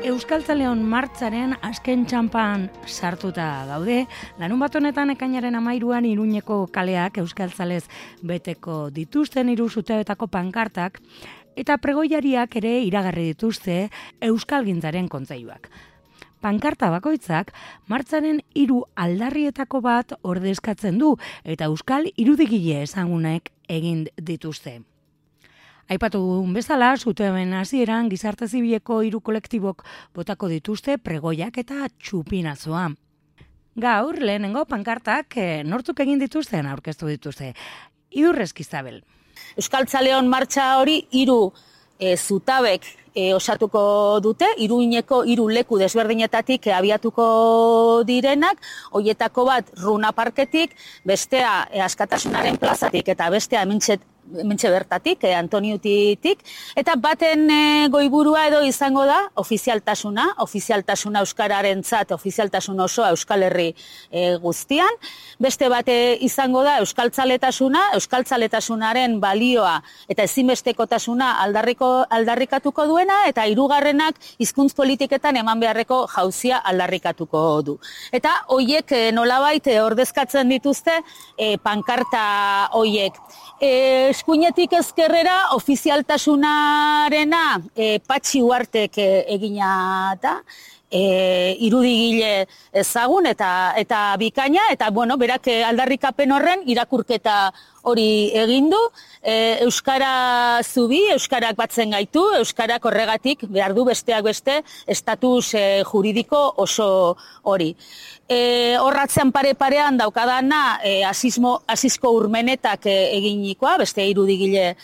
Euskaltzaleon martxaren azken txanpan sartuta gaude. Larunbat honetan ekainaren 13an Iruñeko kaleak euskaltzalez beteko dituzten 3 zutabetako pankartak eta pregoiariak ere iragarri dituzte euskalgintzaren kontseiluak. Pankarta bakoitzak martxaren 3 aldarrietako bat ordezkatzen du eta euskal irudigile ezagunek egin dituzte. Aipatu dugun bezala, zutabeen hasieran gizarte zibileko 3 kolektibok botako dituzte pregoiak eta txupinazoa. Gaur, lehenengo pankartak nortzuk egin dituzten aurkeztu dituzte. Idurrezki Zabel. Euskaltzaleon martxa hori 3 zutabek osatuko dute, Iruñeko 3 leku desberdinetatik abiatuko direnak, hoietako bat Runa Parketik, bestea Askatasunaren plazatik eta bestea hementxe bertatik, Antoniutitik, eta baten goiburua edo izango da ofizialtasuna euskararentzat, ofizialtasun osoa Euskal Herri guztian, beste bate izango da euskaltzaletasunaren balioa eta ezinbestekotasuna aldarrikatuko duena, eta 3. hizkuntz politiketan eman beharreko jauzia aldarrikatuko du. Eta hoiek nolabait ordezkatzen dituzte pankarta hoiek. Eskuinetik ezkerrera ofizialtasunarena Patxi Uartek egina da, irudigile ezagun eta bikaina, eta berak aldarrikapen horren irakurketa hori egin du, euskara zubi, euskarak batzen gaitu, euskarak horregatik behar du besteak beste estatus juridiko oso hori. Horratzean pare-parean daukadana Asisko Urmenetak eginikoa, beste irudigile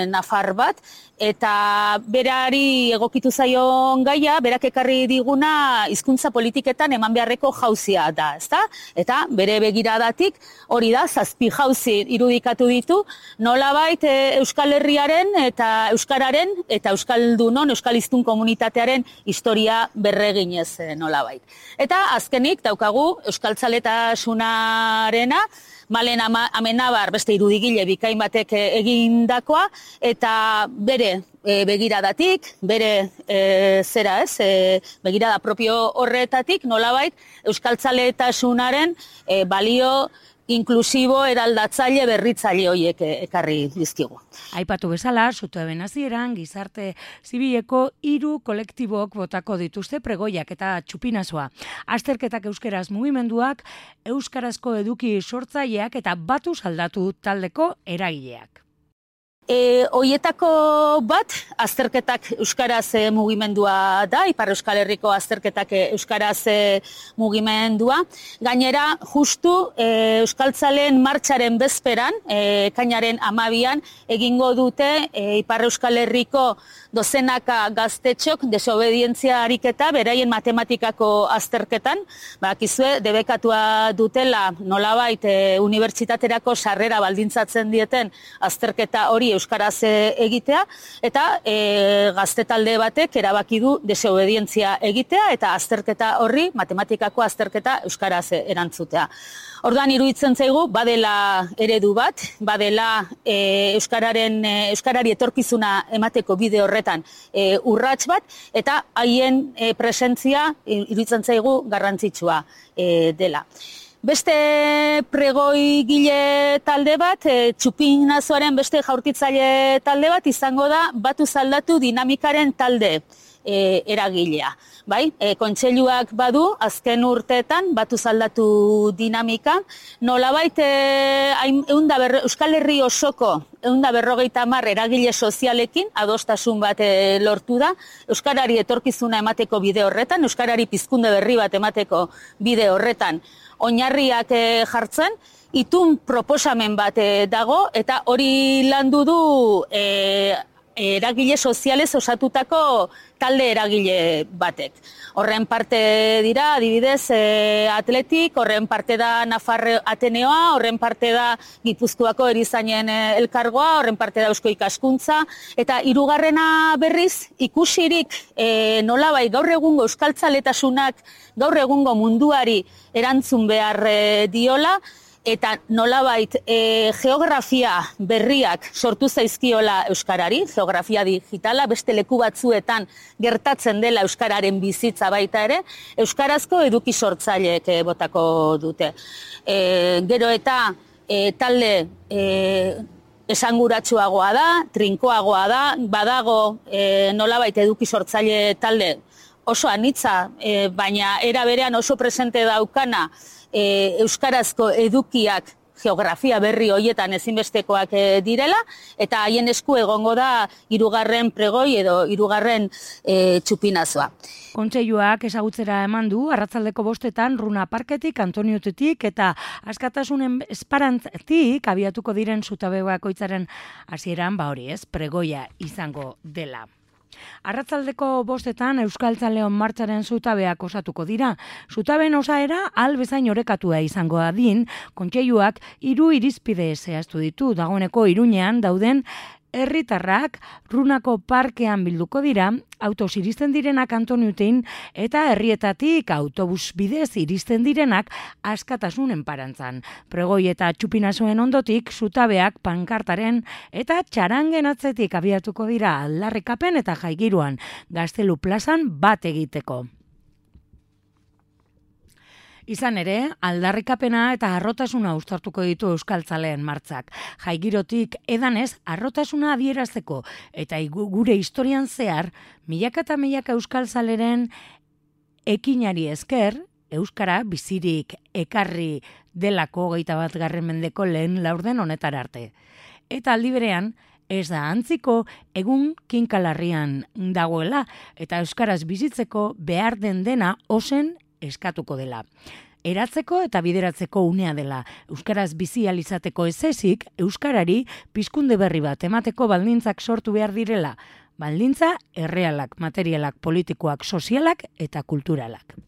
nafar bat, eta berari egokitu zaion gaia, berak ekarri diguna hizkuntza politiketan eman beharreko jauzia da, ezta? Eta bere begiradatik hori da, 7 jauzi irudikatu ditu, nolabait Euskal Herriaren eta Euskararen eta Euskaldunon, Euskaliztun komunitatearen historia berreginez nolabait. Eta azkenik daukagu euskaltzaletasunarena, Malen Amenabar beste irudigile bikain batek egindakoa, eta bere begiradatik, bere begirada propio horretatik, nolabait euskaltzaletasunaren balio inklusibo eraldatzaile berritzaile horiek ekarri dizkigu. Aipatu bezala, zutabeen hasieran gizarte zibileko 3 kolektibok botako dituzte pregoiak eta txupinazoa. Azterketak euskeraz mugimenduak, euskarazko eduki sortzaileak eta batuz aldatu taldeko eragileak. Hoietako bat, azterketak euskaraz mugimendua da, Ipar Euskal Herriko azterketak euskaraz mugimendua. Gainera, justu euskaltzaleen martxaren bezperan, ekainaren 12an, egingo dute Ipar Euskal Herriko dozenaka gaztetxok desobedientzia ariketa beraien matematikako azterketan. Bakizue, debekatua dutela nolabait unibertsitaterako sarrera baldintzatzen dieten azterketa hori euskaraz egitea, eta gazte talde batek erabaki du desobedientzia egitea eta azterketa horri, matematikako azterketa euskaraz erantzutea. Orduan iruditzen zaigu, badela eredu bat, badela euskarari etorkizuna emateko bide horretan urrats bat, eta haien presentzia iruditzen zaigu garrantzitsua dela. Beste pregoigile talde bat, txupinazoaren beste jaurtitzaile talde bat izango da batuz aldatu dinamikaren talde eragilea. Bai, kontseiluak badu, azken urteetan batuz aldatu dinamika, nolabait Euskal Herri osoko 150 eragile sozialekin adostasun bat lortu da, euskarari etorkizuna emateko bide horretan, euskarari pizkunde berri bat emateko bide horretan, oinarriak jartzen, itun proposamen bat dago, eta hori landu du eragile sozialez osatutako talde eragile batek. Horren parte dira, adibidez, Atletik, horren parte da Nafar Ateneoa, horren parte da Gipuzkoako erizainen elkargoa, horren parte da Eusko Ikaskuntza, eta 3. berriz, ikusirik nolabai gaur egungo euskaltzaletasunak, gaur egungo munduari erantzun behar diola, eta nolabait geografia berriak sortu zaizkiola euskarari, geografia digitala, beste leku batzuetan gertatzen dela euskararen bizitza baita ere, euskarazko eduki sortzaileek botako dute. Gero eta talde esanguratsuagoa da, trinkoagoa da, badago nolabait eduki sortzaile talde oso anitza, baina era berean oso presente daukana euskarazko edukiak geografia berri hoietan ezinbestekoak direla, eta haien esku egongo da 3. pregoi edo 3. txupinazoa. Kontseiluak ezagutzera eman du arratsaldeko 5etan Runa Parketik, Antoniotetik eta Askatasunen Esperantzatik abiatuko diren zutabe bakoitzaren hasieran pregoia izango dela. Arratsaldeko 5etan Euskaltzaleon martxaren zutabeak osatuko dira. Zutaben osaera bezain orekatua izango adin, kontseiluak 3 irizpide zehaztu ditu. Dagoeneko Iruñean dauden herritarrak Runako parkean bilduko dira, autoz iristen direnak Antoniotin eta herrietatik autobus bidez iristen direnak Askatasun Enparantzan. Pregoi eta txupinazoen ondotik zutabeak pankartaren eta txarangen atzetik abiatuko dira aldarrikapen eta jaigiruan Gaztelu plazan bat egiteko. Izan ere, aldarrikapena eta harrotasuna uztartuko ditu Euskaltzaleen martzak. Jaigirotik edanez harrotasuna adierazteko eta gure historian zehar milaka eta milaka Euskaltzaleren ekinari esker, Euskara bizirik ekarri delako 21. mendeko lehen laurden honetara arte. Eta aldi berean, ez da antziko egun kinkalarrian dagoela eta Euskaraz bizitzeko behar den dena ozen eskatuko dela. Eratzeko eta bideratzeko unea dela. Euskaraz bizi ahal izateko ezezik, euskarari pizkunde berri bat emateko baldintzak sortu behar direla. Baldintza errealak, materialak, politikoak, sozialak eta kulturalak.